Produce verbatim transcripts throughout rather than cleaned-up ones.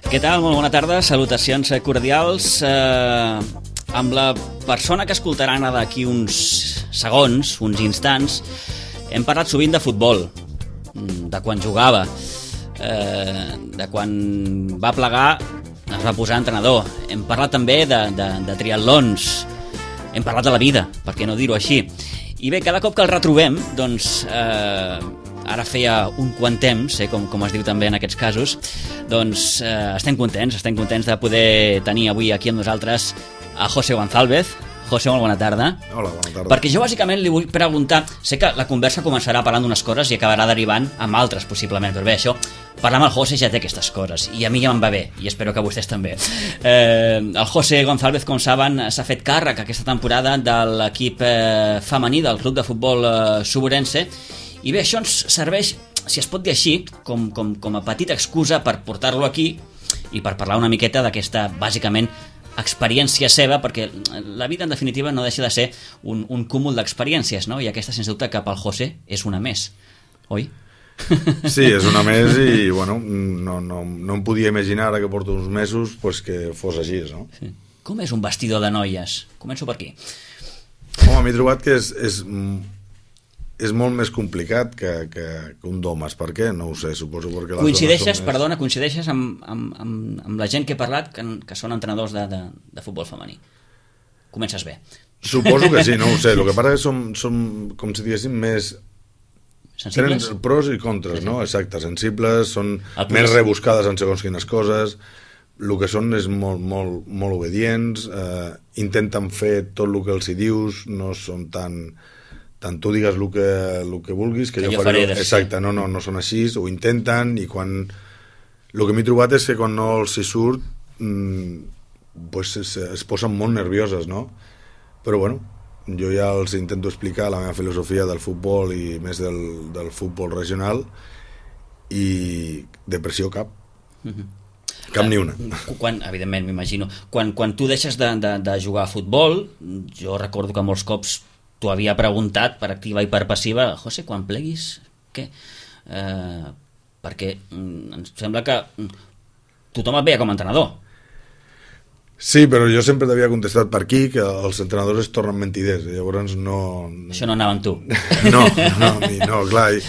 Què tal? Molt bona tarda, salutacions cordials. Eh, amb la persona que escoltaran d'aquí uns segons, uns instants, hem parlat sovint de futbol, de quan jugava, eh, de quan va plegar, es va posar entrenador. Hem parlat també de, de, de triatlons, hem parlat de la vida, per què no dir-ho així. I bé, cada cop que el retrobem, doncs... Eh, ara feia un quant temps, eh, com, com es diu també en aquests casos, doncs eh, estem contents, estem contents de poder tenir avui aquí amb nosaltres a José González. José, molt bona tarda. Hola, bona tarda. Perquè jo bàsicament li vull preguntar, sé que la conversa començarà parlant d'unes coses i acabarà derivant amb altres possiblement, però bé, això, parlar amb el José ja té aquestes coses, i a mi ja me'n va bé, i espero que a vostès també. Eh, el José González, com saben, s'ha fet càrrec aquesta temporada de l'equip eh, femení del club de futbol eh, Suburense. I bé, això ens serveix, si es pot dir així, com, com, com a petita excusa per portar-lo aquí i per parlar una miqueta d'aquesta, bàsicament, experiència seva, perquè la vida, en definitiva, no deixa de ser un, un cúmul d'experiències, no? I aquesta, sens dubte, que pel José és una més, oi? Sí, és una més i, bueno, no, no, no em podia imaginar, ara que porto uns mesos, pues, que fos així, no? Sí. Com és un vestidor de noies? Començo per aquí. Home, m'he trobat que és... és és molt més complicat que, que, que un d'homes. Per què? No ho sé, suposo perquè les coincideixes, més... perdona, coincideixes amb, amb, amb, amb la gent que he parlat que, que són entrenadors de, de, de futbol femení. Comences bé. Suposo que sí, no ho sé. El que passa és que som, som com si diguéssim, més... Sensibles? Tenen pros i contres, no? Exacte, sensibles, són més més rebuscades en segons quines coses, el que són és molt, molt, molt obedients, eh, intenten fer tot el que els hi dius, no són tan... tant tu digues el que, el que vulguis que, que jo, jo faré, faré exacte, no, no, no són així, ho intenten, i quan el que m'he trobat és que quan no els hi surt mmm, pues es, es posen molt nervioses, no? Però bueno, jo ja els intento explicar la meva filosofia del futbol i més del, del futbol regional, i depressió cap. Uh-huh. Cap ni una. Quan, evidentment, m'imagino, quan, quan tu deixes de, de, de jugar a futbol, jo recordo que molts cops t'ho havia preguntat per activa i per passiva, José, quan pleguis, què? Eh, perquè mm, em sembla que tothom et veia com a entrenador. Sí, però jo sempre t'havia contestat per aquí que els entrenadors es tornen mentiders, llavors no... Això no anava amb tu. No, no, no, clar, i,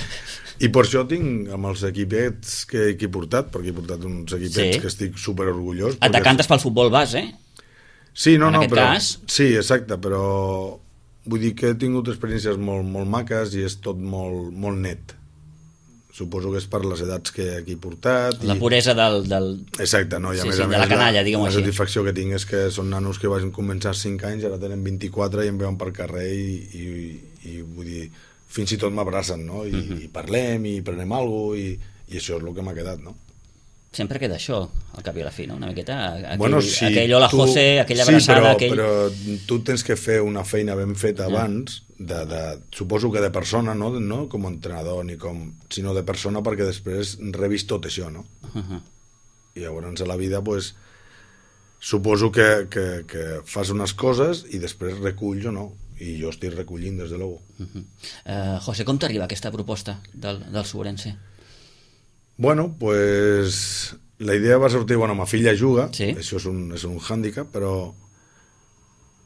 i per això tinc amb els equipets que, que he portat, perquè he portat uns equipets sí. que estic super orgullós. Et decantes pel futbol base, eh? Sí, no, en no, aquest però... cas... Sí, exacte, però... Vull dir que he tingut experiències molt, molt maques i és tot molt, molt net. Suposo que és per les edats que aquí he portat. La i... puresa del... del... Exacte, no? I a sí, més sí, a de més, la canalla, diguem-ho així. La satisfacció que tinc és que són nanos que van començar cinc anys, ara tenen vint-i-quatre i em veuen per carrer i, i, i, i vull dir, fins i tot m'abracen, no? I, uh-huh. i parlem i prenem alguna cosa i, i això és el que m'ha quedat, no? Sempre queda això, al cap i a la fi, no? Una miqueta, aquell, bueno, sí, aquell hola tu... José, aquella abraçada... Sí, però, aquell... però tu tens que fer una feina ben feta uh-huh. abans, de, de, suposo que de persona, no, no com a entrenador, ni com, sinó de persona perquè després rebis tot això, no? Uh-huh. I llavors a la vida, pues, suposo que, que, que fas unes coses i després reculls o no, i jo estic recollint, des de l'ou. Uh-huh. uh, José, com t'arriba aquesta proposta del, del Suburense? Bueno, pues la idea va sortir, bueno, ma filla juga, sí. això és un, és un hàndicap, però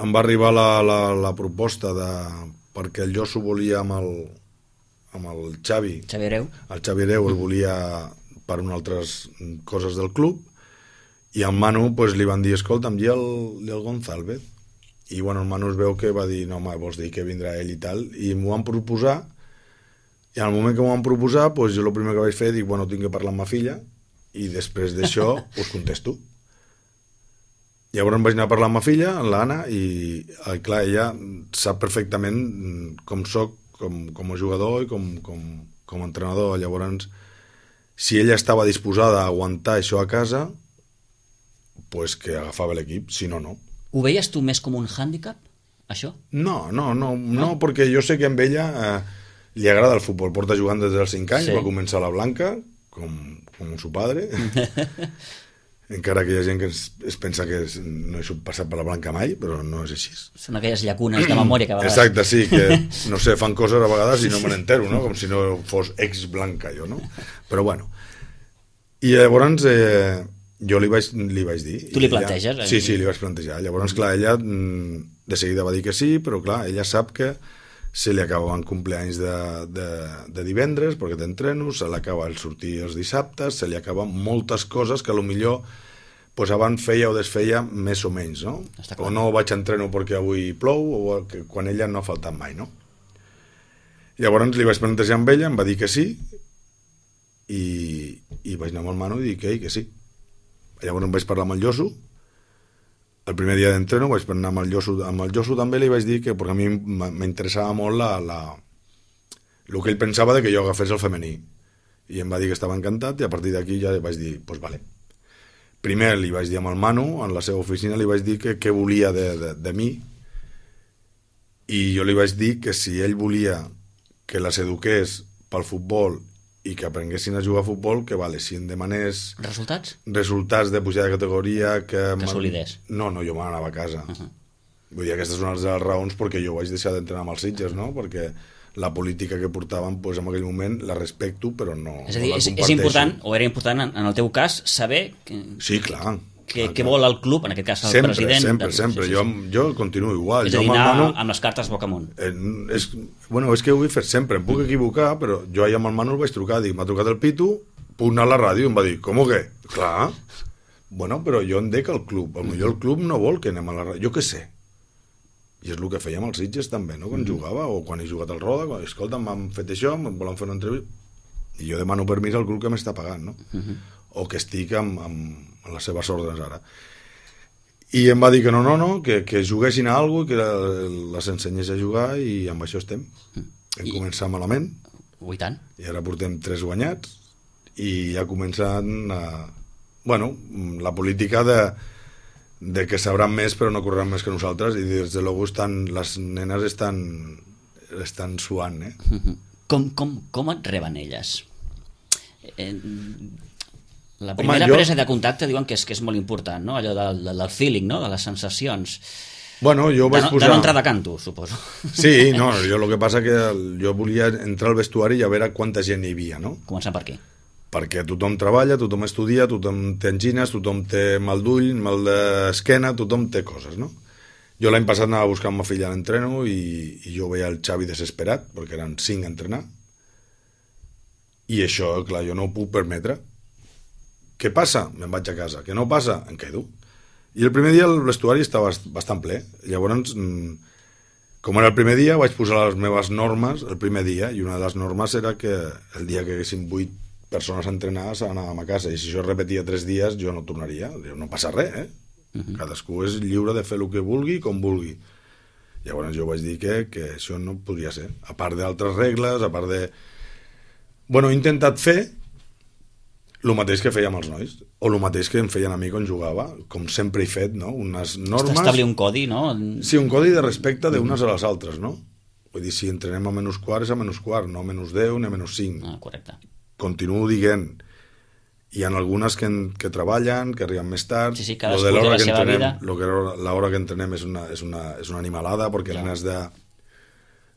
em va arribar la, la, la proposta de, perquè el jo s'ho volia amb el, amb el Xavi, Xavi Hereu, el Xavi Hereu el volia per unes altres coses del club, i al Manu pues, li van dir, escolta'm, i el, i el González? I bueno, el Manu es veu que va dir, no, home, vols dir que vindrà ell i tal, i m'ho van proposar. I al moment que m'ho van proposar, pues, jo el primer que vaig fer, dic, bueno, tinc que parlar amb ma filla, i després d'això us contesto. Llavors em vaig anar a parlar amb ma filla, amb l'Anna, i clar, ella sap perfectament com soc, com, com a jugador i com, com, com a entrenador. Llavors, si ella estava disposada a aguantar això a casa, pues que agafava l'equip, si no, no. Ho veies tu més com un hàndicap, això? No, no, no, no, no perquè jo sé que amb ella... Eh, li agrada el futbol, porta jugant des dels cinc anys, sí. Va començar a la Blanca, com, com su padre, encara que hi ha gent que es, es pensa que es, no he passat per la Blanca mai, però no és així. Són aquelles llacunes de memòria que a vegades... Exacte, sí, que no sé, fan coses a vegades i no me n'entero, no? Com si no fos ex-Blanca jo, no? Però bueno. I llavors, eh, jo li vaig, li vaig dir. Tu li ella, planteges? Eh? Sí, sí, li vaig plantejar. Llavors, clar, ella de seguida va dir que sí, però clar, ella sap que se li acabaven compleanys de, de, de divendres, perquè té entrenos, se li acaba el sortir els dissabtes, se li acaben moltes coses que potser pues, abans feia o desfeia més o menys, no? O no vaig a entreno perquè avui plou, o que, quan ella no ha faltat mai, no? Llavors li vaig plantejar amb ella, em va dir que sí, i, i vaig anar amb el Manu i dir que, que sí. Llavors em vaig parlar amb el Josu, el primer dia d'entreno vaig anar amb el Josu, amb el Josu també li vaig dir que, perquè a mi m'interessava molt la, la, el que ell pensava de que jo agafés el femení, i em va dir que estava encantat, i a partir d'aquí ja vaig dir, doncs pues vale. Primer li vaig dir amb el Manu, en la seva oficina li vaig dir que què volia de, de, de mi, i jo li vaig dir que si ell volia que les eduqués pel futbol i que aprenguessin a jugar a futbol, que vale, si em demanés... Resultats? Resultats de pujar de categoria... Que, que solidés. No, no, jo m'anava a casa. Uh -huh. Vull dir, aquestes són les raons perquè jo vaig deixar d'entrenar amb els Sitges, no? Perquè la política que portaven, pues, en aquell moment, la respecto, però no, és a dir, no la és, comparteixo. És important, o era important, en, en el teu cas, saber... Que, sí, clar. Què que vol el club, en aquest cas el sempre, president... Sempre, de... sempre, sí, sí, sí. Jo, jo continuo igual. És a dir, jo anar amb, Manu, amb les cartes boca amunt. Eh, és, bueno, és que ho he fet sempre, em puc equivocar, però jo ahir amb el Manu el vaig trucar, dic, m'ha trucat el Pitu, puc anar a la ràdio, i em va dir, com que? Clar, bueno, però jo em dec al club, potser el club no vol que anem a la ràdio, jo què sé. I és el que fèiem als Sitges també, no? Quan mm. jugava, o quan he jugat al Roda, quan, escolta, m'han fet això, em volen fer una entrevista, i jo demano permís al club que m'està pagant, no? Mm -hmm. O que estic amb, amb, amb les seves ordres ara. I em va dir que no, no, no, que, que juguessin a alguna cosa, que les ensenyés a jugar, i amb això estem. Hem I... començat malament. Ui, tant. I ara portem tres guanyats, i ja començant a... Bueno, la política de, de que sabran més però no correran més que nosaltres, i des de luego estan, les nenes estan, estan suant, eh? Com, com, com et reben elles? Eh... La primera Home, jo... presa de contacte diuen que és, que és molt important, no? Allò del, del feeling, no? De les sensacions. Bueno, jo vaig de no, posar... De no entrar de canto, suposo. Sí, no, jo el que passa que jo volia entrar al vestuari i a veure quanta gent hi havia, no? Començant per aquí. Perquè tothom treballa, tothom estudia, tothom té angines, tothom té mal d'ull, mal d'esquena, tothom té coses, no? Jo l'any passat anava a buscar amb ma filla a l'entreno i, i jo veia el Xavi desesperat, perquè eren cinc a entrenar, i això, clar, jo no ho puc permetre. Què passa? Me'n vaig a casa. Què no passa? Em quedo. I el primer dia el vestuari estava bastant ple. Llavors, com era el primer dia, vaig posar les meves normes el primer dia, i una de les normes era que el dia que haguessin vuit persones a entrenar s'anàvem a casa, i si això es repetia tres dies jo no tornaria. No passa res, eh? Uh-huh. Cadascú és lliure de fer el que vulgui, com vulgui. Llavors jo vaig dir que, que això no podria ser. A part d'altres regles, a part de... Bueno, he intentat fer el mateix que fèiem els nois, o el mateix que em feien a mi quan jugava, com sempre he fet, no? Unes normes... Establir un codi, no? Sí, un codi de respecte d'unes a les altres, no? Vull dir, si entrenem a menys quart és a menys quart, no a menys deu ni a menys cinc. Ah, correcte. Continuo dient. Hi ha algunes que, que treballen, que arriben més tard. Sí, sí, cadascú té la seva entrenem, vida. Lo que l'hora que entrenem és una, és una, és una animalada, perquè ja. Nenes de,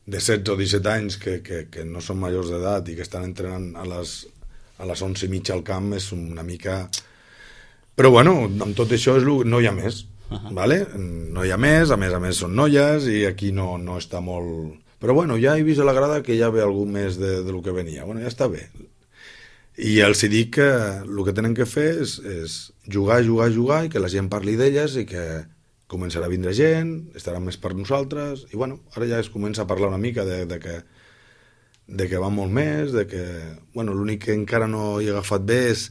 de setze o disset anys que, que, que no són majors d'edat i que estan entrenant a les... a les onze i mitja al camp és una mica... Però bueno, amb tot això és lo... no hi ha més, uh-huh. ¿Vale? No hi ha més, a més a més són noies i aquí no, no està molt... Però bueno, ja he vist a la grada que ja ve algú més de, de lo que venia. Bueno, ja està bé. I els dic que el que tenen que fer és, és jugar, jugar, jugar i que la gent parli d'elles i que començarà a vindre gent, estaran més per nosaltres i bueno, ara ja es comença a parlar una mica de, de que de que va molt més, de que, bueno, l'únic que encara no he agafat bé és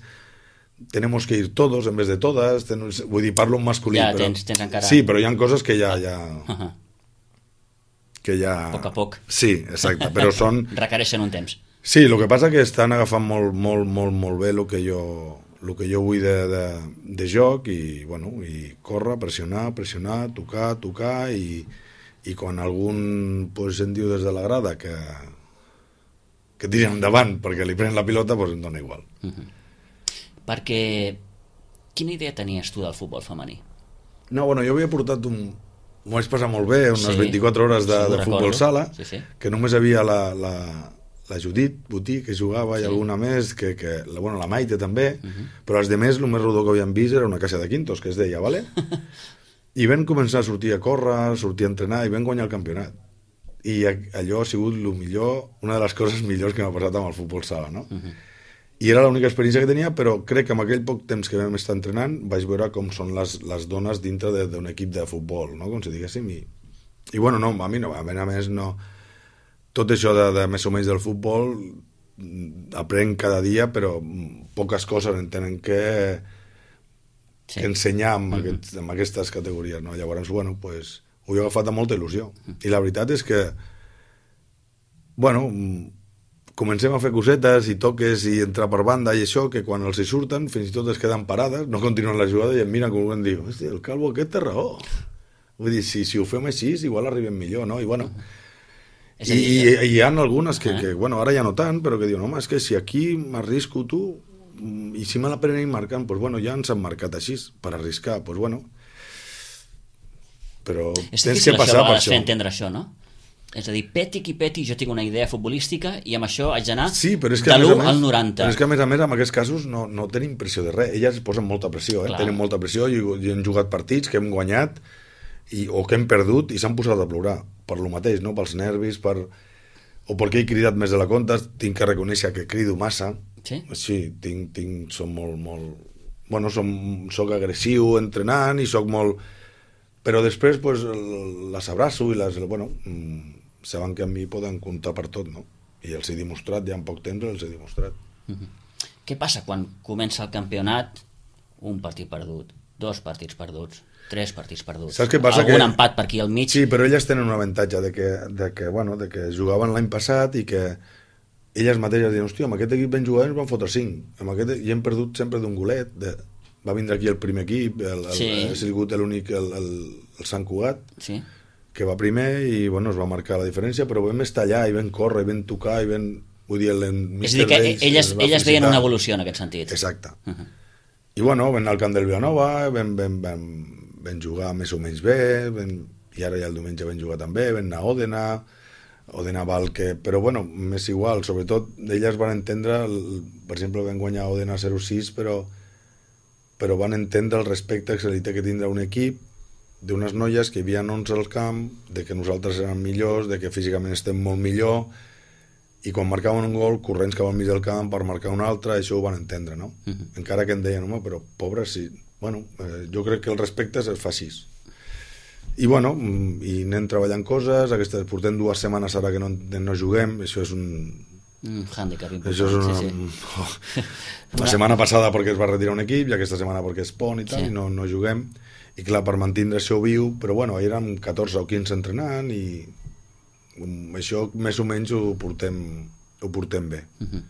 tenemos que ir todos en vez de todas, ten... vull dir, parlo en masculí. Ja, però... tens, tens encara... Sí, però hi ha coses que ja... ja... Uh-huh. que ja... A poc a poc. Sí, exacte, però són... Requereixen un temps. Sí, el que passa que estan agafant molt, molt, molt, molt bé el que jo, el que jo vull de, de, de joc i, bueno, i córrer, pressionar, pressionar, tocar, tocar i, i quan algun pues, em diu des de la grada que que tiren endavant perquè li prenen la pilota, doncs em dona igual. Uh-huh. Perquè quina idea tenies tu del futbol femení? No, bueno, jo havia portat un... M'ho vaig passar molt bé, unes sí, vint-i-quatre hores de, sí, de futbol sala, sí, sí. Que només havia la, la, la Judit Botí, que jugava, sí. I alguna més, que, que la, bueno, la Maite també, uh -huh. Però els demés, el més rodó que havíem vist era una caixa de quintos, que es deia, vale? I vam començar a sortir a córrer, a sortir a entrenar, i vam guanyar el campionat. I allò ha sigut el millor, una de les coses millors que m'ha passat amb el futbol sala, no? Uh -huh. I era l'única experiència que tenia, però crec que amb aquell poc temps que vam estar entrenant vaig veure com són les, les dones dintre d'un equip de futbol, no? Com si diguéssim, i, i bueno, no, a mi no, a mi a més no... Tot això de, de més o menys del futbol aprenc cada dia, però poques coses en tenen que, sí. que ensenyar amb, uh -huh. aquest, amb aquestes categories, no? Llavors, bueno, pues, ho he agafat amb molta il·lusió. Uh -huh. I la veritat és que, bueno, comencem a fer cosetes i toques i entrar per banda i això, que quan els hi surten, fins i tot es queden parades, no continuen la jugada i em miren com em diu, hòstia, el calvo aquest té raó. Vull dir, si, si ho fem així, igual arribem millor, no? I bueno... Uh -huh. I, i, i hi ha algunes que, que, bueno, ara ja no tant, però que diuen, home, és que si aquí m'arrisco tu, i si me la prenen marcant, doncs bueno, ja ens han marcat així, per arriscar, doncs bueno. Però és tens que passar per això. És entendre això, no? És a dir, peti qui peti, jo tinc una idea futbolística i amb això haig d'anar sí, de l'u al noranta. Però és que a més a més, en aquests casos, no, no tenim pressió de res. Elles posen molta pressió, eh? Tenen molta pressió i, i hem jugat partits que hem guanyat i, o que hem perdut i s'han posat a plorar per lo mateix, no? Pels nervis, per... o perquè he cridat més de la compte, tinc que reconèixer que crido massa. Sí? Sí, tinc, tinc, som molt, molt... Bueno, som, soc agressiu entrenant i soc molt... Però després, pues, les abraço i les... Bueno, saben que a mi poden comptar per tot, no? I els he demostrat, ja en poc temps els he demostrat. Uh-huh. Què passa quan comença el campionat? Un partit perdut, dos partits perduts, tres partits perduts, saps què passa? Algun que... empat per aquí al mig. Sí, però elles tenen un avantatge de que, de que, bueno, de que jugaven l'any passat i que elles mateixes diuen, hòstia, amb aquest equip ben jugat ens van fotre cinc, amb aquest... i hem perdut sempre d'un golet, de... va vindre aquí el primer equip, el, el, sí. Ha sigut l'únic, el, el, el Sant Cugat, sí. Que va primer i bueno, es va marcar la diferència, però vam estar allà i vam córrer, i vam tocar, i vam... Vull dir, el és a dir, que Reis, elles, elles veien una evolució en aquest sentit. Exacte. Uh-huh. I bueno, vam anar al camp del Vilanova, vam, vam, vam, vam jugar més o menys bé, vam, i ara ja el diumenge vam jugar també, vam anar a Òdena, Òdena val que... Però bueno, m'és igual, sobretot elles van entendre, el, per exemple, vam guanyar a Òdena zero sis, però, però van entendre el respecte que se li té que tindre un equip d'unes noies que hi havia onze al camp, de que nosaltres érem millors, de que físicament estem molt millor, i quan marcaven un gol, corrents cap al mig del camp per marcar un altre, això ho van entendre, no? Uh-huh. Encara que em deien, home, però pobres, sí. Bueno, eh, jo crec que el respecte es fa així. I bueno, i anem treballant coses, aquestes, portem dues setmanes ara que no, no juguem, això és un... Un hàndicap important. Això és una... sí, sí. Oh. La setmana passada perquè es va retirar un equip, i aquesta setmana perquè es pon i tal, sí. I no, no juguem. I clar, per mantindre això viu, però bueno, érem catorze o quinze entrenant i això més o menys ho portem, ho portem bé. Uh-huh.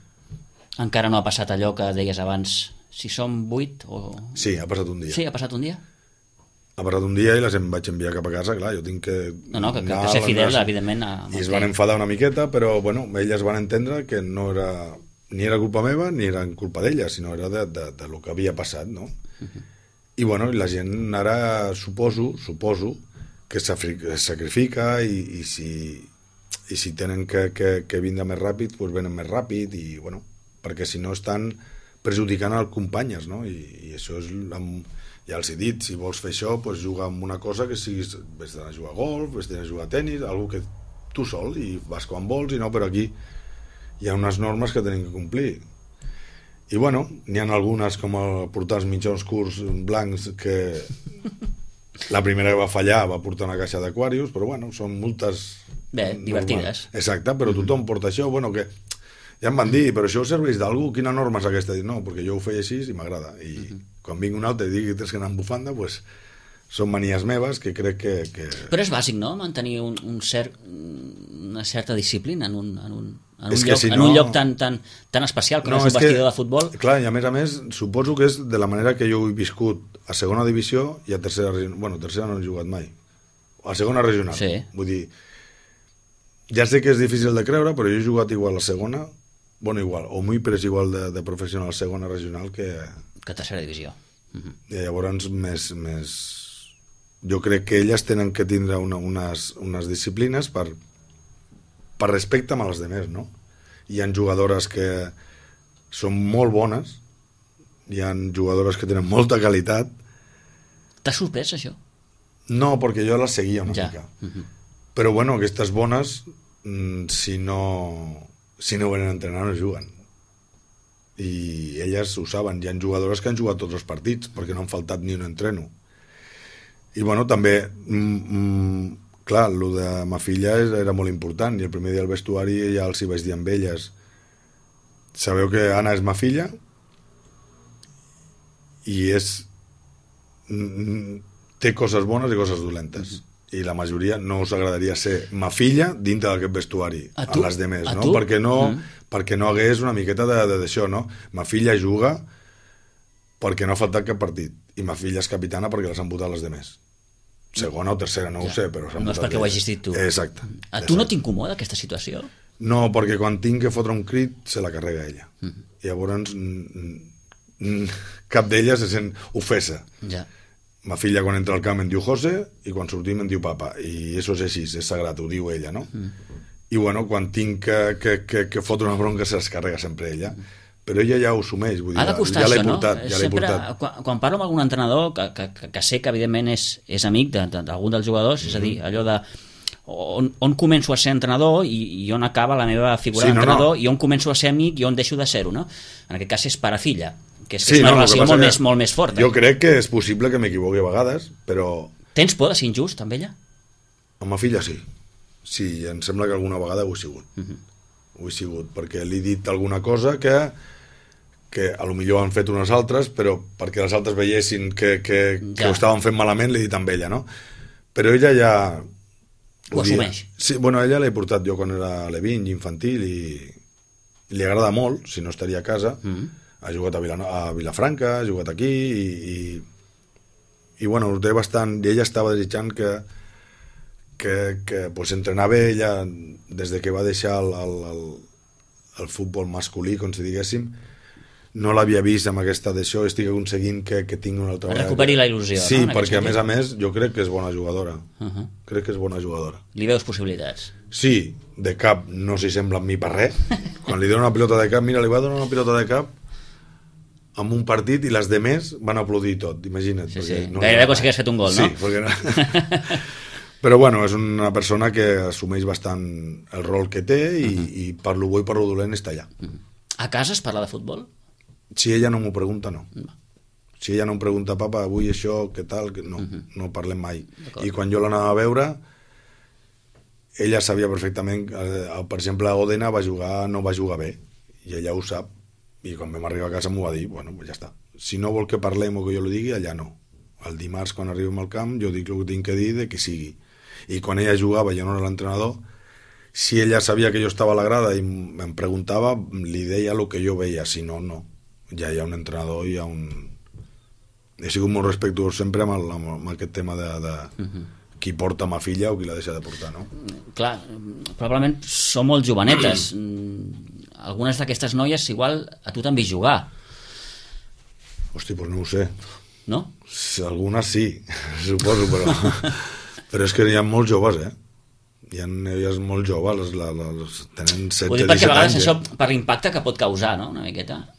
Encara no ha passat allò que deies abans, si som vuit o... Sí, ha passat un dia. Sí, ha passat un dia? Ha passat un dia i les em vaig enviar cap a casa, clar, jo tinc que... No, no, que, que, que ser fidel, anar, evidentment... A... I es van enfadar una miqueta, però bueno, elles van entendre que no era... ni era culpa meva ni era culpa d'elles, sinó era de, de, de lo que havia passat, no? Uh-huh. I bueno, la gent ara suposo, suposo que es sacrifica i, i si... i si tenen que, que, que vindre més ràpid, doncs venen més ràpid, i bueno, perquè si no estan perjudicant els companyes, no? I, i això és, amb, ja els he dit, si vols fer això, doncs juga amb una cosa que siguis, vés d'anar a jugar a golf, vés d'anar a jugar a tenis, algo que tu sol, i vas quan vols, i no, però aquí hi ha unes normes que tenim que complir. I bueno, n'hi ha algunes, com el portar els mitjons curts blancs, que la primera que va fallar va portar una caixa d'aquàrius, però bueno, són multes... Bé, divertides. Exacte, però tothom porta això, bueno, que ja em van dir, però això serveix d'algú? Quina norma és aquesta? No, perquè jo ho feia així i m'agrada. I uh-huh. quan vinc un altre i digui que tens que anar amb bufanda, doncs són manies meves que crec que... que... Però és bàsic, no?, mantenir un, un cert, una certa disciplina en un, en un, en un, lloc, si no... en un lloc tan, tan, tan especial com no, és un vestidor que, de futbol. Clar, i a més a més, suposo que és de la manera que jo ho he viscut a segona divisió i a tercera regional. Bueno, tercera no he jugat mai. A segona regional. Sí. Vull dir, ja sé que és difícil de creure, però jo he jugat igual a segona, bueno, igual, o muy però és igual de, de professional a segona regional que... Que a tercera divisió. Uh-huh. I llavors, més, més... jo crec que elles tenen que tindre una, unes, unes disciplines per, per respecte amb els demés, no? hi ha jugadores que són molt bones, hi ha jugadores que tenen molta qualitat. T'ha sorprès, això? No, perquè jo les seguia una ja. mica. Uh-huh. Però bueno, aquestes bones, si no, si no venen a entrenar, no juguen. I elles ho saben. Hi ha jugadores que han jugat tots els partits, perquè no han faltat ni un entreno. I bueno, també, mm, mm, clar, el de ma filla era molt important, i el primer dia al vestuari ja els hi vaig dir amb elles: sabeu que Anna és ma filla i és té coses bones i coses dolentes, i la majoria no us agradaria ser ma filla dintre d'aquest vestuari a, a les demés, no? Perquè no, mm. perquè no hagués una miqueta d'això, no? Ma filla juga perquè no ha faltat cap partit, i ma filla és capitana perquè les han votat les demés. Segona o tercera, no ja. ho sé, però no és perquè ho hagis dit tu. Exacte. A tu no t'incomoda aquesta situació? No, perquè quan tinc que fotre un crit se la carrega ella. Mm. I llavors cap d'elles se sent ofesa. Ja. Ma filla quan entra al camp em diu José i quan sortim em diu papa, i això és així, és sagrat, ho diu ella, no? Mm. I bueno, quan tinc que, que, que, que fotre una bronca se les carrega sempre ella. Mm. Però ella ja ho assumeix, vull dir, ha de costar ja l'he això, portat, no? ja l'he Sempre, portat. Quan, quan parlo amb algun entrenador que, que, que sé que evidentment és, és amic d'algun dels jugadors, mm. és a dir, allò de on, on començo a ser entrenador i, i on acaba la meva figura sí, d'entrenador, no, no. i on començo a ser amic i on deixo de ser-ho, no? En aquest cas és pare-filla, que és, sí, és una no, relació molt més, molt més forta. Jo crec que és possible que m'equivoqui a vegades, però... Tens por de ser injust amb ella? Amb ma filla sí. Sí, em sembla que alguna vegada ho he sigut. Uh -huh. Ho he sigut, perquè li he dit alguna cosa que que a lo millor han fet unes altres, però perquè les altres veiessin que, que, ja. que ho estaven fent malament, l'he dit amb ella, no? Però ella ja... Ho, ho assumeix. Sí, bueno, ella l'he portat jo quan era levin, infantil, i, i li agrada molt, si no estaria a casa. Uh -huh. Ha jugat a, Vilano a Vilafranca, ha jugat aquí, i, i, i bueno, ho té bastant... I ella estava desitjant que que, que pues, entrenava ella des de que va deixar el, el, el, el futbol masculí, com si diguéssim. No l'havia vist amb aquesta d'això, estic aconseguint que, que tingui una altra... Recuperi la il·lusió, sí, no? Sí, perquè a més a més jo crec que és bona jugadora. Uh -huh. Crec que és bona jugadora. Li veus possibilitats? Sí, de cap no s'hi sembla amb mi per res. Quan li dono una pilota de cap, mira, li va donar una pilota de cap amb un partit i les demés van aplaudir tot, imagina't. Sí, sí. No gairebé com si hagués fet un gol, sí, no? Sí, perquè no... Però bueno, és una persona que assumeix bastant el rol que té i, uh -huh. i per lo bo i per lo dolent està allà. Uh -huh. A casa es parla de futbol? Si ella no m'ho pregunta, no. no. Si ella no em pregunta, papa, avui això, què tal, no, uh -huh. no parlem mai. I quan jo l'anava a veure, ella sabia perfectament, eh, per exemple, Òdena va jugar, no va jugar bé, i ella ho sap, i quan vam arribar a casa m'ho va dir, bueno, pues ja està. Si no vol que parlem o que jo lo digui, allà no. El dimarts, quan arribem al camp, jo dic el que tinc que dir de que sigui. I quan ella jugava, jo no era l'entrenador, si ella sabia que jo estava a la grada i em preguntava, li deia el que jo veia, si no, no. Ja hi ha un entrenador, hi ha un... He sigut molt respectuós sempre amb, el, amb aquest tema de, de uh-huh. qui porta ma filla o qui la deixa de portar, no? Clar, probablement són molt jovenetes. Algunes d'aquestes noies igual a tu t'han vist jugar. Hosti, doncs no ho sé. No? Algunes sí, suposo, però... però és que hi ha molts joves, eh? Hi ha noies molt joves, les, les, les tenen setze, ho dic perquè a vegades anys, això, per l'impacte que pot causar, no?, una miqueta.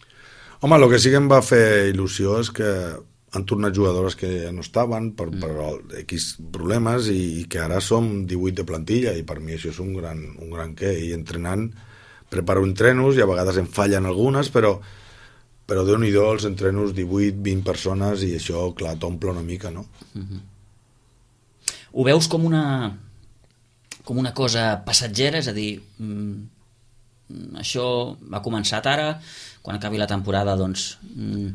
Home, el que sí que em va fer il·lusió és que han tornat jugadores que ja no estaven per, mm. per X problemes i, i que ara som divuit de plantilla, i per mi això és un gran, un gran què, i entrenant preparo entrenos i a vegades em fallen algunes, però però Déu-n'hi-do els entrenos divuit, vint persones, i això, clar, t'omple una mica, no? Mm-hmm. Ho veus com una com una cosa passatgera, és a dir, mm, això ha començat ara, quan acabi la temporada, doncs... Mm,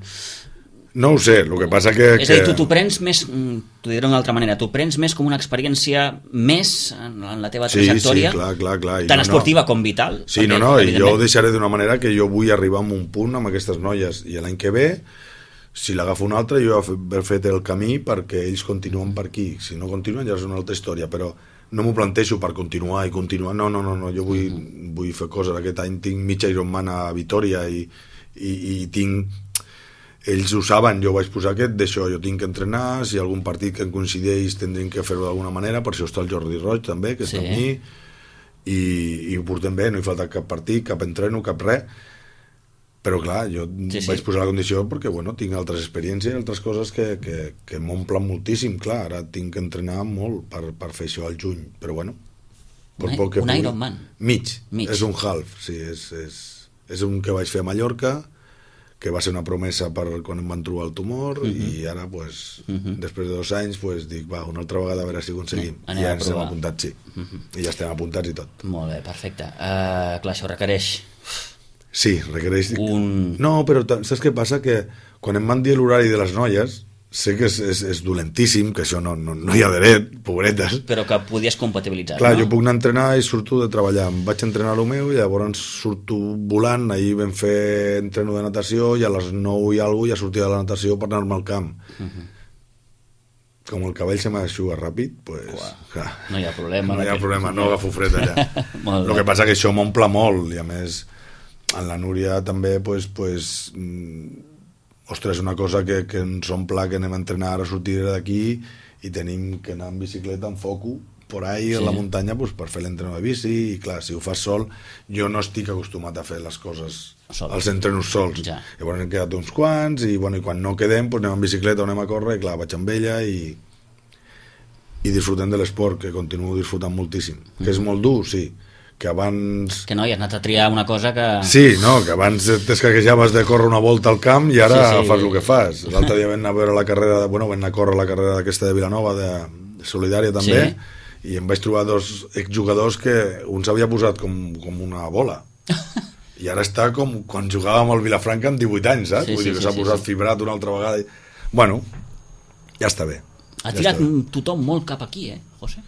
no ho sé, el que passa que... És a dir, tu t'ho prens més, t'ho diré d'una altra manera, t'ho prens més com una experiència més en, en la teva trajectòria, sí, sí, clar, clar, clar. tant no, esportiva no. com vital. Sí, perquè, no, no, i jo ho deixaré d'una manera que jo vull arribar a un punt amb aquestes noies, i l'any que ve, si l'agafo un altre, jo he fet el camí perquè ells continuen per aquí. Si no continuen ja és una altra història, però no m'ho plantejo per continuar i continuar, no, no, no, no. Jo vull, uh-huh. vull fer coses. Aquest any tinc mig Ironman a Vitoria i, i, i tinc... Ells ho saben, jo vaig posar aquest d'això, jo tinc que entrenar, si hi ha algun partit que em coincideix tindrem que fer-ho d'alguna manera, per això està el Jordi Roig també, que sí. està amb mi, i, i ho portem bé, no hi falta cap partit, cap entreno, cap res, però clar, jo sí, sí. vaig posar la condició perquè bueno, tinc altres experiències, altres coses que, que, que m'omplen moltíssim, clar, ara tinc que entrenar molt per, per fer això al juny, però bueno, un, un pugui... Ironman mig, mig, és un half, sí, és, és, és un que vaig fer a Mallorca, que va ser una promesa per quan em van trobar el tumor, uh -huh. i ara, pues, uh -huh. després de dos anys, pues, dic, va, una altra vegada a veure si aconseguim. No, I ja ens hem apuntat, sí. Uh -huh. I ja estem apuntats i tot. Molt bé, perfecte. Uh, clar, això requereix... Sí, requereix... Un... No, però saps què passa? Que quan em van dir l'horari de les noies, sé que és, és, és dolentíssim, que això no, no, no hi ha dret, pobretes. Però que podies compatibilitzar, clar, no? jo puc anar a entrenar i surto de treballar. Em vaig entrenar el meu i llavors surto volant. Ahir vam fer entreno de natació i a les nou i alguna cosa ja sortia de la natació per anar-me al camp. Uh -huh. Com el cabell se m'aixuga ràpid, pues, clar, no hi ha problema. No hi ha problema, no agafo fred allà. El que passa que això m'omple molt i a més en la Núria també pues, pues, ostres, una cosa que, que ens omple, que anem a entrenar, a sortir d'aquí i tenim que anar en bicicleta, en foco, por ahí, sí. a la muntanya, pues, per fer l'entreno de bici, i clar, si ho fas sol, jo no estic acostumat a fer les coses, sol. Els entrenos sols. Ja. Llavors hem quedat uns quants, i, bueno, i quan no quedem, pues, anem en bicicleta o anem a córrer, i clar, vaig amb ella, i, i disfrutem de l'esport, que continuo disfrutant moltíssim. Mm. Que és molt dur, sí, que abans... Que no, hi has anat a triar una cosa que... Sí, no, que abans t'escaquejaves de córrer una volta al camp i ara sí, sí. fas el que fas. L'altre dia vam anar a veure la carrera, de, bueno, vam anar a córrer la carrera d'aquesta de Vilanova, de, de Solidària també, sí. i em vaig trobar dos exjugadors que un s'havia posat com, com una bola. I ara està com quan jugàvem al Vilafranca amb divuit anys, saps? Sí, Vull sí, dir que s'ha sí, posat sí. fibrat una altra vegada. I... Bueno, ja està bé. Ha ja tirat tothom molt cap aquí, eh, José?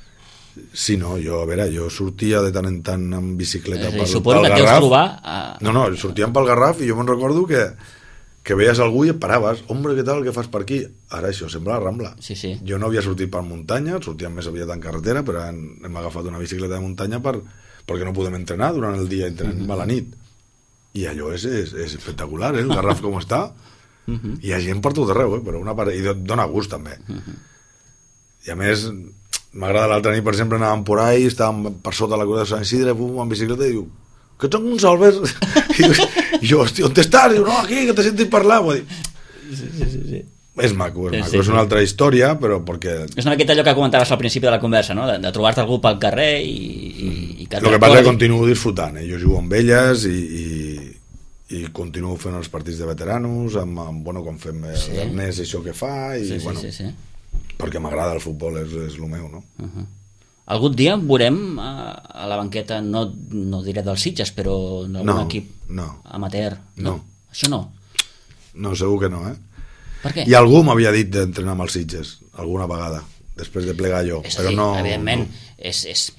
Sí, no, jo, a veure, jo sortia de tant en tant amb bicicleta pel, suposo pel que Garraf. Trobar a... No, no, sortíem pel Garraf i jo me'n recordo que, que veies algú i et paraves. Hombre, què tal, què fas per aquí? Ara això sembla la Rambla. Sí, sí. Jo no havia sortit per muntanya, sortíem més aviat en carretera, però hem, hem agafat una bicicleta de muntanya per, perquè no podem entrenar durant el dia, entrenem uh -huh. a la nit. I allò és, és, és espectacular, eh, el Garraf com està. Uh -huh. I hi ha gent per tot arreu, eh, però una part... i dona gust també. Uh -huh. I a més... M'agrada l'altra nit, per exemple, anàvem por ahí, estàvem per sota la creu de Sant Isidre, pum, en bicicleta, i diu, que ets un Salves? I jo, hòstia, on t'estàs? Diu, no, aquí, que t'he sentit parlar. Vull dir, sí, sí, sí, sí. És maco, és sí, maco. Sí, és una sí. altra història, però perquè... És una miqueta allò que comentaves al principi de la conversa, no? De, de trobar-te algú pel carrer i... i, i que el que passa és que continuo disfrutant, eh? Jo jugo amb elles i, i, i continuo fent els partits de veteranos, amb, amb bueno, quan fem sí. l'Ernest i això que fa, i sí, sí, bueno... Sí, sí. perquè m'agrada el futbol, és, és el meu, no? Uh -huh. Algun dia veurem a, a la banqueta, no, no diré dels Sitges, però d'algun no, equip no. amateur? No. no. Això no? No, segur que no, eh? Per què? I algú m'havia dit d'entrenar amb els Sitges, alguna vegada, després de plegar jo, és però dir, no... Evidentment, no. és... és...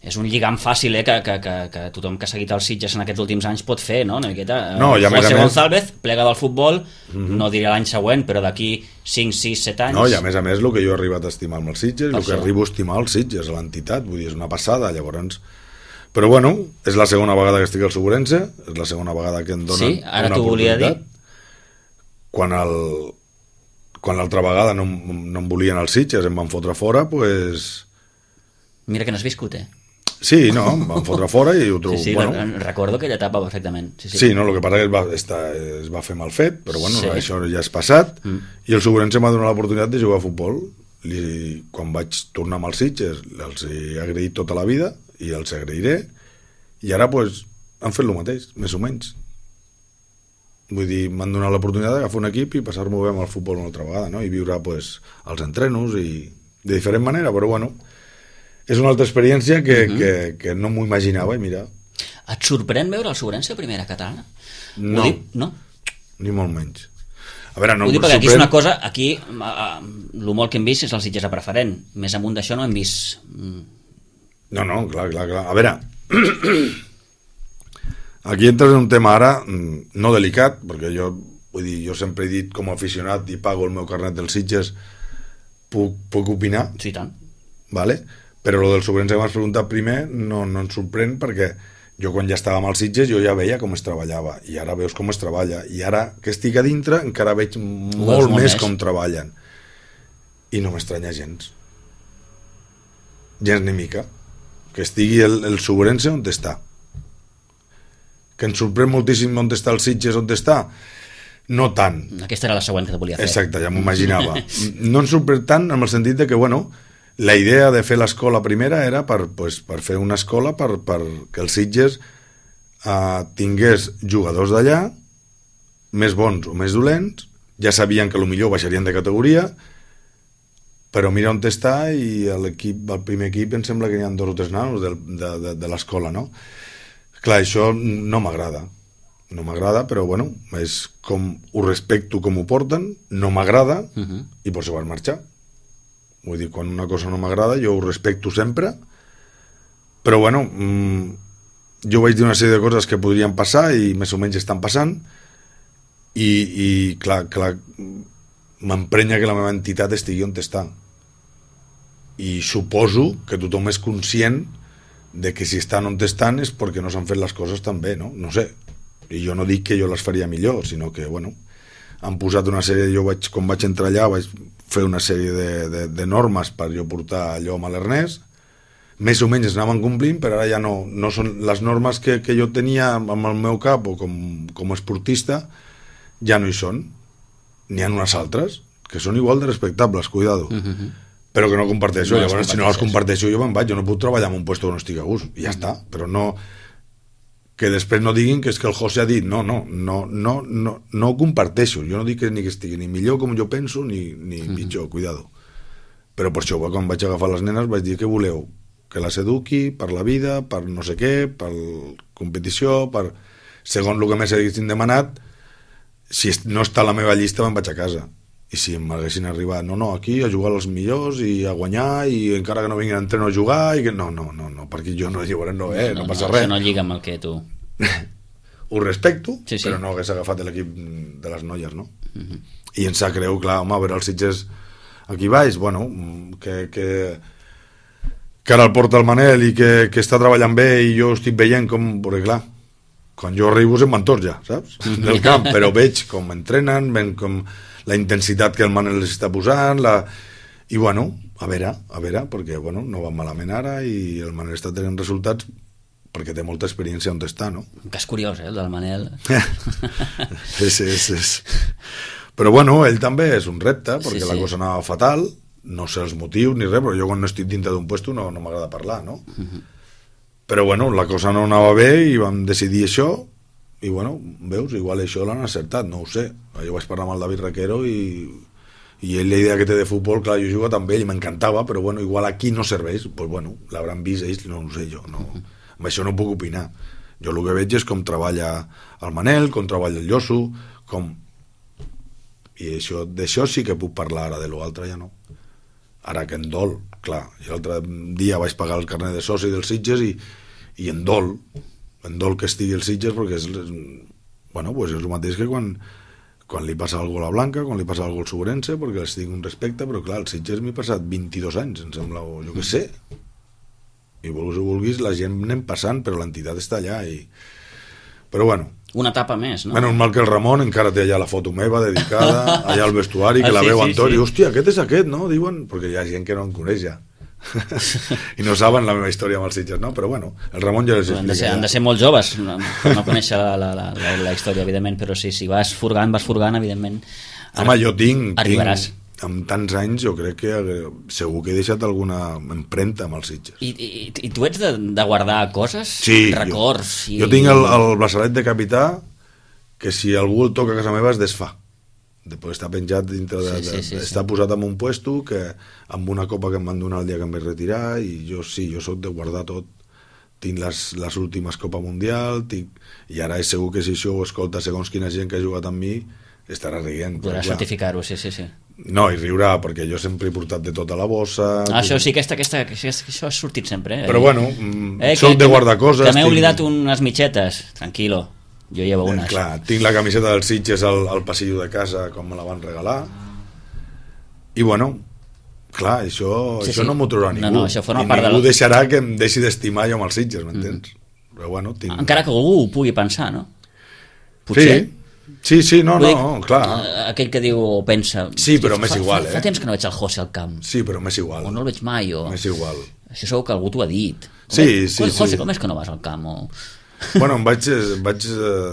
és un lligam fàcil, eh, que, que, que, que tothom que ha seguit els Sitges en aquests últims anys pot fer, no? Una miqueta. No, i a més a més... González plega del futbol, mm-hmm. no diré l'any següent, però d'aquí cinc, sis, set anys... No, i a més a més, el que jo he arribat a estimar amb els Sitges, el que arribo a estimar els Sitges, a l'entitat, vull dir, és una passada, llavors... Però bueno, és la segona vegada que estic al Segurense, és la segona vegada que em donen sí, ara una t'ho volia dir. Quan el... quan l'altra vegada no, no em volien els Sitges, em van fotre fora, pues... Mira que no has viscut, eh? Sí, no, em van fotre fora i ho trobo... Sí, sí, bueno, recordo aquella etapa perfectament. Sí, sí. sí, no, el que passa és que es va, està, es va fer mal fet, però bueno, sí. això ja és passat, mm. i el Segurense m'ha donat l'oportunitat de jugar a futbol. I quan vaig tornar amb els Sitges, els he agraït tota la vida, i els agrairé, i ara pues, han fet el mateix, més o menys. Vull dir, m'han donat l'oportunitat d'agafar un equip i passar-m'ho bé amb el futbol una altra vegada, no? I viure pues, els entrenos i de diferent manera, però bueno... És una altra experiència que, uh -huh. que, que no m'ho imaginava, i mira... Et sorprèn veure el Segurense a primera catalana? No, dic, no, ni molt menys. A veure, no ho dic perquè sorprèn... aquí és una cosa, aquí, el molt que hem vist és el Sitges a preferent, més amunt d'això no hem vist... No, no, clar, clar, clar. A veure, aquí entres en un tema ara no delicat, perquè jo, vull dir, jo sempre he dit com a aficionat i pago el meu carnet dels Sitges, puc, puc opinar. Sí, tant. Vale? Però el del Segurense que m'has preguntat primer no, no ens sorprèn, perquè jo quan ja estava amb els Sitges jo ja veia com es treballava, i ara veus com es treballa, i ara que estic a dintre encara veig molt, molt més com treballen, i no m'estranya gens gens ni mica que estigui el, el Subrense on està. Que ens sorprèn moltíssim on està el Sitges, on està? No tant. Aquesta era la següent que te volia fer. Exacte, ja m'ho imaginava. No ens sorprèn tant en el sentit de que, bueno, la idea de fer l'escola primera era per, pues, per fer una escola per, per que el Sitges eh, tingués jugadors d'allà, més bons o més dolents, ja sabien que millor baixarien de categoria, però mira on està i l'equip, el primer equip em sembla que hi ha dos o tres nanos de, de, de, de l'escola, no? Clar, això no m'agrada. No m'agrada, però bueno, és com ho respecto com ho porten, no m'agrada, uh-huh. i per això van marxar. Vull dir, quan una cosa no m'agrada, jo ho respecto sempre, però bueno, mmm, jo vaig dir una sèrie de coses que podrien passar i més o menys estan passant, i, i clar, clar, m'emprenya que la meva entitat estigui on està. I suposo que tothom és conscient de que si estan on estan és perquè no s'han fet les coses tan bé, no? No sé. I jo no dic que jo les faria millor, sinó que, bueno, han posat una sèrie, jo vaig, quan vaig entrar allà vaig fer una sèrie de, de, de normes per jo portar allò a Malernès, més o menys es anaven complint, però ara ja no, no són les normes que, que jo tenia amb el meu cap o com, com a esportista, ja no hi són. N'hi ha unes altres que són igual de respectables, cuidado, uh-huh. però que no comparteixo. No, llavors, si no les comparteixo jo me'n vaig, jo no puc treballar en un lloc on no estic a gust, i ja uh-huh. està, però no que després no diguin que és que el José ha dit no, no, no, no, no, no ho comparteixo, jo no dic que, ni que estigui ni millor com jo penso ni, ni uh-huh. pitjor, cuidado, però per això quan vaig agafar les nenes vaig dir que voleu que les eduqui per la vida, per no sé què, per competició, per segons el que més haguessin demanat. Si no està a la meva llista me'n vaig a casa, i si m'haguessin arribat no, no, aquí a jugar als millors i a guanyar i encara que no vinguin a entrenar a jugar i que no, no, no, no perquè jo no jugaré, no, eh, no, no passa no, res. Això no lliga amb el que tu ho respecto, sí, sí. però no hagués agafat l'equip de les noies, no? Uh-huh. I ens sap greu, clar, home, a veure els Sitges aquí baix, bueno, que, que que ara el porta el Manel i que, que està treballant bé i jo estic veient com, perquè clar, quan jo arribo se'n van tots ja, saps? Del camp, però veig com entrenen, veig com la intensitat que el Manel les està posant, la... i bueno, a veure, a veure, perquè bueno, no va malament ara i el Manel està tenint resultats perquè té molta experiència on està, no? Un cas curiós, eh, el del Manel. és, és, és. Però bueno, ell també és un repte, perquè sí, sí. la cosa anava fatal, no sé els motius ni res, però jo quan no estic dintre d'un puesto no, no m'agrada parlar, no? Uh-huh. Però bueno, la cosa no anava bé i vam decidir això i bueno, veus, igual això l'han acertat, no ho sé. Jo vaig parlar amb el David Requero i, i ell la idea que té de futbol, clar, jo he jugat amb ell i m'encantava, però bueno, igual aquí no serveix, doncs bueno, l'hauran vist ells, no ho sé jo, no, amb això no puc opinar. Jo el que veig és com treballa el Manel, com treballa el Lloso, com... I això, d'això sí que puc parlar, ara de l'altre ja no. Ara que en dol, clar, i l'altre dia vaig pagar el carnet de soci dels Sitges i, i en dol, en dol que estigui els Sitges perquè és, bueno, pues és el mateix que quan, quan li passa algo a la Blanca, quan li passa algo al Subrense, perquè els tinc un respecte, però clar, els Sitges m'he passat vint-i-dos anys, em sembla, o jo què sé, i vulguis o vulguis, la gent anem passant, però l'entitat està allà, i... però bueno... Una etapa més, no? Menys mal que el Ramon encara té allà la foto meva dedicada, allà al vestuari, que ah, la sí, veu sí, Antoni, sí. Hòstia, aquest és aquest, no? Diuen, perquè hi ha gent que no em coneix ja. I no saben la meva història amb els Sitges, no? Però bueno, el Ramon ja les explica. Han de ser, han de ser molt joves no, per no conèixer la, la, la, la, la història, evidentment, però sí, si vas furgant, vas furgant, evidentment home, jo tinc, arribaràs. tinc amb tants anys jo crec que segur que he deixat alguna empremta amb els Sitges. I, i, i tu ets de, de guardar coses? Sí, records? Jo, i... jo tinc el, el braçalet de capità que si algú el toca a casa meva es desfà. Després està penjat dintre de, sí, sí, sí, de, està sí. posat en un puesto que amb una copa que em van donar el dia que em vaig retirar i jo sí, jo sóc de guardar tot, tinc les, les últimes Copa Mundial tinc, i ara és segur que si això ho escolta segons quina gent que ha jugat amb mi estarà rient. Podràs certificar-ho, sí, sí, sí. No, i riurà, perquè jo sempre he portat de tota la bossa. Ah, això sí, aquesta, aquesta, això ha sortit sempre, eh? Però bueno, eh, soc que, de guardar coses. Que m'he tinc... oblidat unes mitxetes, tranquilo. Jo llevo unes. Eh, clar, tinc la camiseta dels Sitges al, al passillo de casa com me la van regalar i bueno, clar, això, sí, això sí. no m'ho trobarà ningú. No, no, això forma I part ningú de... deixarà que em deixi d'estimar jo amb els Sitges, m'entens? Mm. Però bueno, tinc... Encara que algú ho pugui pensar, no? Potser. Sí, sí, sí, no, no, no, clar. Aquell que diu o pensa... Sí, però m'és igual, fa, eh? Fa temps que no veig el José al camp. Sí, però m'és igual. O no el veig mai, o... M'és igual. Això segur que algú t'ho ha dit. Sí, sí, com, José, sí. com és que no vas al camp? O... Bueno, em vaig, vaig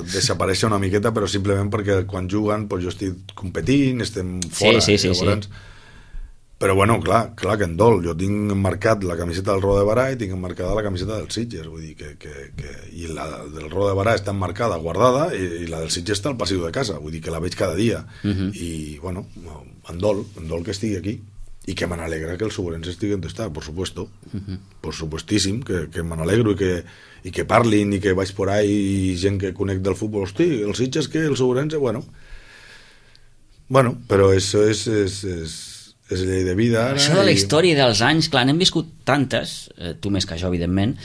desaparèixer una miqueta, però simplement perquè quan juguen pues, jo estic competint, estem fora. Sí, sí, sí, llavors... sí. Però bueno, clar, clar que en dol. Jo tinc marcat la camiseta del Roda de Barà i tinc marcada la camiseta del Sitges. Vull dir que, que, que... I la del Roda de Barà està marcada, guardada, i, i la del Sitges està al passiu de casa. Vull dir que la veig cada dia. Uh -huh. I, bueno, en dol, en dol que estigui aquí. I que me n'alegra que el Sobrense estigui on està, por supuesto. Uh -huh. Por supuestíssim, que, que me n'alegro i que, i que parlin i que vaig por ahí i gent que conec del futbol. Hosti, el Sitges que el Sobrense, bueno... Bueno, però això és... és, és és llei de vida ara. Això de la i... història dels anys, clar, n'hem viscut tantes, eh, tu més que jo, evidentment,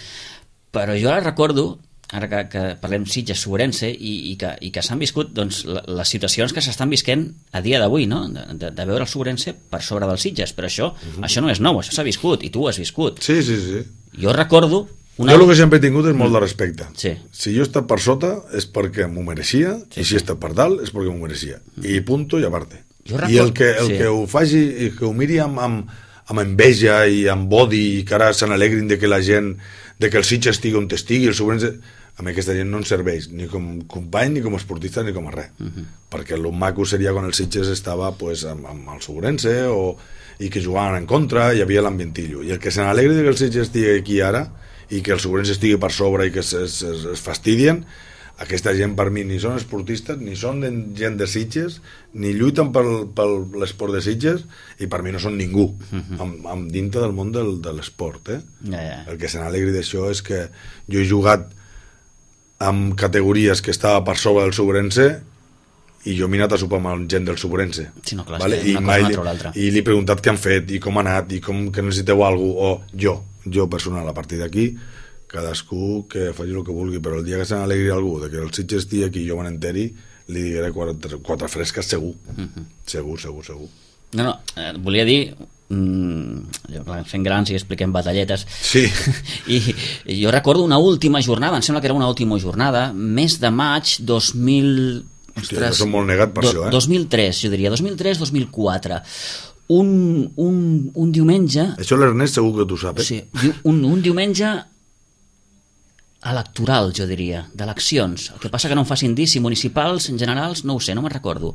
però jo ara recordo, ara que, que parlem Sitges, Sobrense, i, i que, i que s'han viscut doncs, les situacions que s'estan visquent a dia d'avui, no? de, de, de veure el Sobrense per sobre dels Sitges, però això, uh-huh. això no és nou, això s'ha viscut, i tu ho has viscut. Sí, sí, sí. Jo recordo... Una... Jo el que sempre he tingut és molt de respecte. Sí. Si jo he estat per sota és perquè m'ho mereixia, sí, i si he estat per dalt és perquè m'ho mereixia. Uh-huh. I punto i aparte. Record... I el que, el sí. que ho faci i que ho miri amb, amb, amb enveja i amb odi i que ara se n'alegrin de que la gent de que el Sitges estigui on estigui el Sobrense, a mi aquesta gent no ens serveix ni com company, ni com esportista, ni com a res. Uh-huh. Perquè el maco seria quan el Sitges estava pues, amb, amb el Sobrense o, i que jugaven en contra, hi havia l'ambientillo. I el que se n'alegri de que el Sitges estigui aquí ara i que el Sobrense estigui per sobre i que es, es, es, es fastidien, aquesta gent per mi ni són esportistes, ni són gent de Sitges, ni lluiten pel, pel l'esport de Sitges, i per mi no són ningú, uh-huh. amb, amb dintre del món del, de l'esport. Eh? Ja, ja. El que se n'alegri d'això és que jo he jugat amb categories que estava per sobre del Sobrense i jo m'he anat a sopar amb gent del Sobrense. Sí, no, clar, vale? I, mai, li, i li he preguntat què han fet, i com ha anat, i com que necessiteu alguna cosa, o jo, jo personal, a partir d'aquí, cadascú que faci el que vulgui, però el dia que se n'alegri algú de que el Sitges estigui aquí i jo me n'enteri, li diré quatre, quatre fresques segur. Uh-huh. Segur, segur, segur. No, no, eh, volia dir mmm, fent grans i expliquem batalletes. Sí. I, I jo recordo una última jornada, em sembla que era una última jornada, mes de maig dos mil... Hòstia, jo som molt negat per do, això, eh? dos mil tres, jo diria, dos mil tres dos mil quatre. Un, un, un diumenge... Això l'Ernest segur que tu saps, eh? Sí, un, un diumenge electoral, jo diria, d'eleccions. El que passa que no em facin dir si municipals, en generals, no ho sé, no me'n recordo.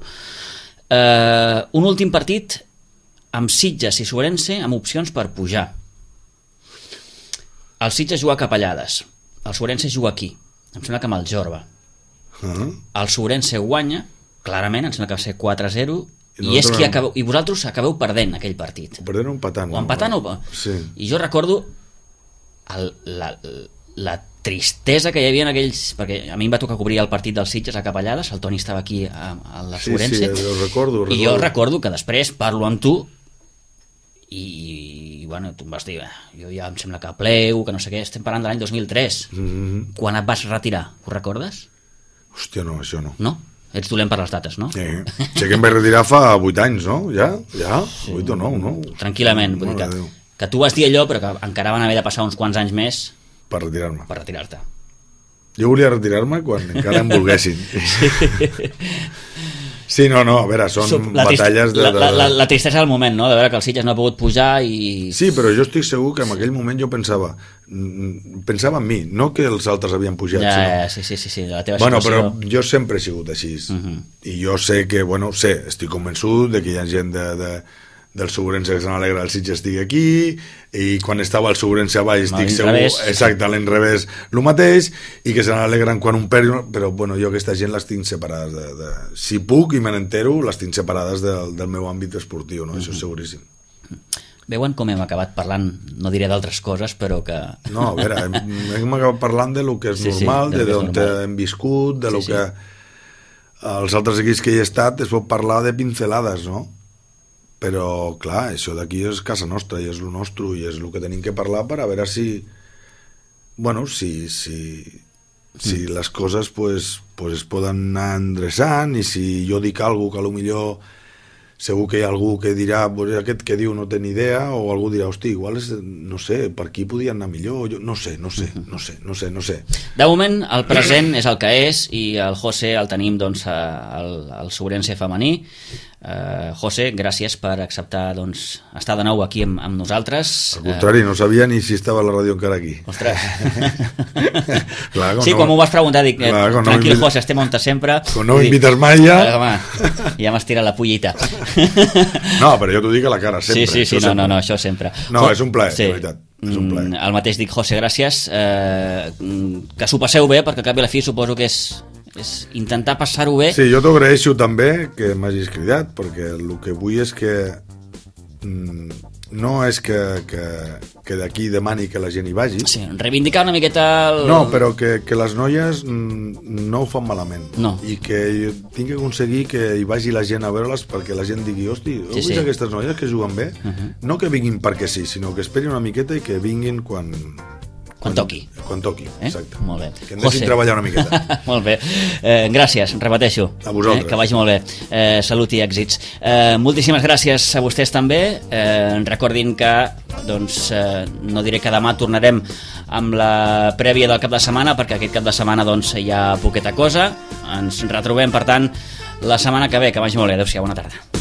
Uh, un últim partit amb Sitges i Sobrense amb opcions per pujar. El Sitges juga a Capellades, el Sobrense juga aquí, em sembla que amb el Jorba. Uh-huh. El Sobrense guanya, clarament, em sembla que va ser quatre a zero, i, i, és qui acabeu, i vosaltres acabeu perdent aquell partit. O perdent o empatant. O empatant no? o... Sí. I jo recordo el, la, la tristesa que hi havia en aquells... Perquè a mi em va tocar cobrir el partit dels Sitges a Capellades, el Toni estava aquí a, a la Sobrense. Sí, sí, ho recordo, ho recordo. I jo recordo que després parlo amb tu i, i bueno, tu em vas dir, jo ja em sembla que pleu, que no sé què, estem parlant de l'any dos mil tres. Mm-hmm. Quan et vas retirar, ho recordes? Hòstia, no, això no. No? Ets dolent per les dates, no? Sí, sé que em vaig retirar fa vuit anys, no? Ja? Ja? vuit o nou, no? Tranquil·lament, vull dir que, que tu vas dir allò, però que encara van haver de passar uns quants anys més per retirar-me. Per retirar-te. Jo volia retirar-me quan encara em volguessin. Sí, no, no, a veure, són la batalles de... La, la, la, la tristesa del moment, no?, de veure que el Sitges no ha pogut pujar i... Sí, però jo estic segur que en aquell moment jo pensava pensava en mi, no que els altres havien pujat, ja, sinó... Ja, sí, sí, sí, sí, la teva bueno, situació... però jo sempre he sigut així. Uh-huh. I jo sé que, bueno, sé, estic convençut de que hi ha gent de, de, del Sobrense que se n'alegra el Sitges estigui aquí, i quan estava el Sobrense a baix estic segur, revés. Exacte, a l'enrevés el mateix, i que se n'alegren quan un perd, però bueno, jo aquesta gent les tinc separades de, de... si puc i me n'entero, les tinc separades del, del meu àmbit esportiu, no? Uh-huh. Això és seguríssim. Veuen com hem acabat parlant, no diré d'altres coses, però que... No, a veure, hem, hem acabat parlant de lo que és sí, normal, sí, de d'on hem viscut, de sí, lo sí. que els altres equips que hi he estat es pot parlar de pincelades, no? Però, clar, això d'aquí és casa nostra i és el nostre i és el que tenim que parlar per a veure si... Bueno, si... si si mm. les coses pues, pues es poden anar endreçant i si jo dic alguna cosa que potser segur que hi ha algú que dirà pues aquest que diu no té ni idea, o algú dirà hosti, igual és, no sé, per aquí podien anar millor, jo, no sé, no sé, no sé, no sé, no sé. De moment el present és el que és i el José el tenim doncs al, al Sobrense femení, Uh, José, gràcies per acceptar doncs, estar de nou aquí amb, amb nosaltres. Al contrari, no sabia ni si estava la ràdio encara aquí. Ostres. Clar, sí, no, quan m'ho vas preguntar, dic, clar, tranquil, no José, estem on sempre. Quan no m'invites mai ja... Ah, home, ja m'has tirat la pollita. No, però jo t'ho dic a la cara, sempre. Sí, sí, sí, no, no, no, això sempre. No, és un plaer, sí. De veritat. És un plaer. El mateix dic, José, gràcies. Eh, que s'ho passeu bé, perquè al cap i a la fi suposo que és... és intentar passar-ho bé. Sí, jo t'ho agraeixo també que m'hagis cridat, perquè el que vull és que mm, no és que, que, que d'aquí demani que la gent hi vagi. Sí, reivindicar una miqueta el... No, però que, que les noies mm, no ho fan malament. No. I que tinc que aconseguir que hi vagi la gent a veure-les perquè la gent digui, hosti, heu Sí, vist sí. aquestes noies que juguen bé? Uh-huh. No que vinguin perquè sí, sinó que esperin una miqueta i que vinguin quan... Quan toqui. Quan toqui, Eh? exacte. Molt bé. Que em deixin treballar una miqueta. Molt bé. Eh, gràcies, repeteixo. A vosaltres. Eh, que vagi molt bé. Eh, salut i èxits. Eh, moltíssimes gràcies a vostès també. Eh, recordin que doncs, eh, no diré que demà tornarem amb la prèvia del cap de setmana, perquè aquest cap de setmana doncs, hi ha poqueta cosa. Ens retrobem, per tant, la setmana que ve. Que vagi molt bé. Adéu-siau, bona tarda.